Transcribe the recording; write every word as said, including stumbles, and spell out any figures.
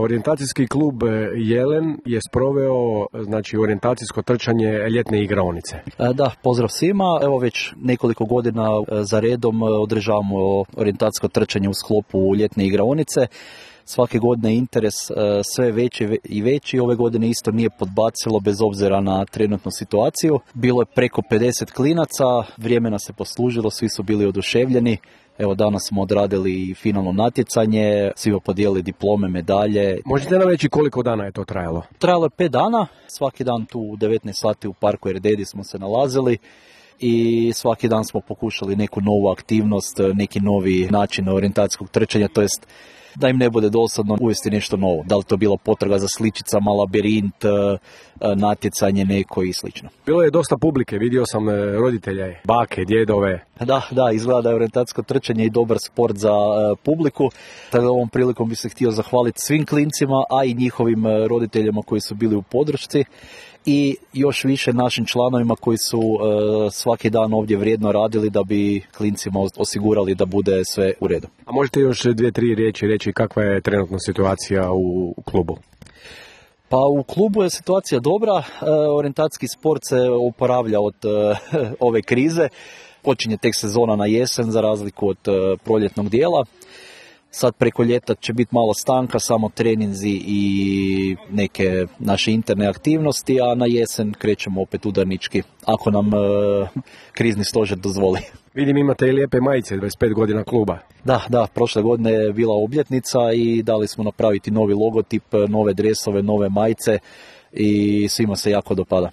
Orijentacijski klub Jelen je sproveo znači orijentacijsko trčanje ljetne igraonice. Da, pozdrav svima. Evo već nekoliko godina za redom održavamo orijentacijsko trčanje u sklopu ljetne igraonice. Svake godine interes sve veći i veći. Ove godine isto nije podbacilo bez obzira na trenutnu situaciju. Bilo je preko pedeset klinaca, vrijeme nas se poslužilo, svi su bili oduševljeni. Evo danas smo odradili finalno natjecanje, svima podijelili diplome, medalje. Možete nam reći koliko dana je to trajalo? Trajalo je pet dana, svaki dan tu u devetnaest sati u parku Erdedi smo se nalazili i svaki dan smo pokušali neku novu aktivnost, neki novi način orijentacijskog trčanja, to jest da im ne bude dosadno uvesti nešto novo. Da li to bila potraga za sličicama, labirint, natjecanje neko i slično. Bilo je dosta publike, vidio sam roditelje, bake, djedove. Da, da, izgleda da je orijentacijsko trčanje i dobar sport za uh, publiku. Tako da ovom prilikom bi se htio zahvaliti svim klincima, a i njihovim uh, roditeljima koji su bili u podršci. I još više našim članovima koji su uh, svaki dan ovdje vrijedno radili da bi klincima osigurali da bude sve u redu. A možete još dvije, tri riječi reći kakva je trenutna situacija u, u klubu? Pa u klubu je situacija dobra, uh, orijentacijski sport se oporavlja od uh, ove krize. Počinje tek sezona na jesen za razliku od uh, proljetnog dijela. Sad preko ljeta će biti malo stanka, samo treninzi i neke naše interne aktivnosti, a na jesen krećemo opet udarnički, ako nam e, krizni stožer dozvoli. Vidim imate i lijepe majice, dvadeset pet godina kluba. Da, da, prošle godine je bila obljetnica i dali smo napraviti novi logotip, nove dresove, nove majice i svima se jako dopada.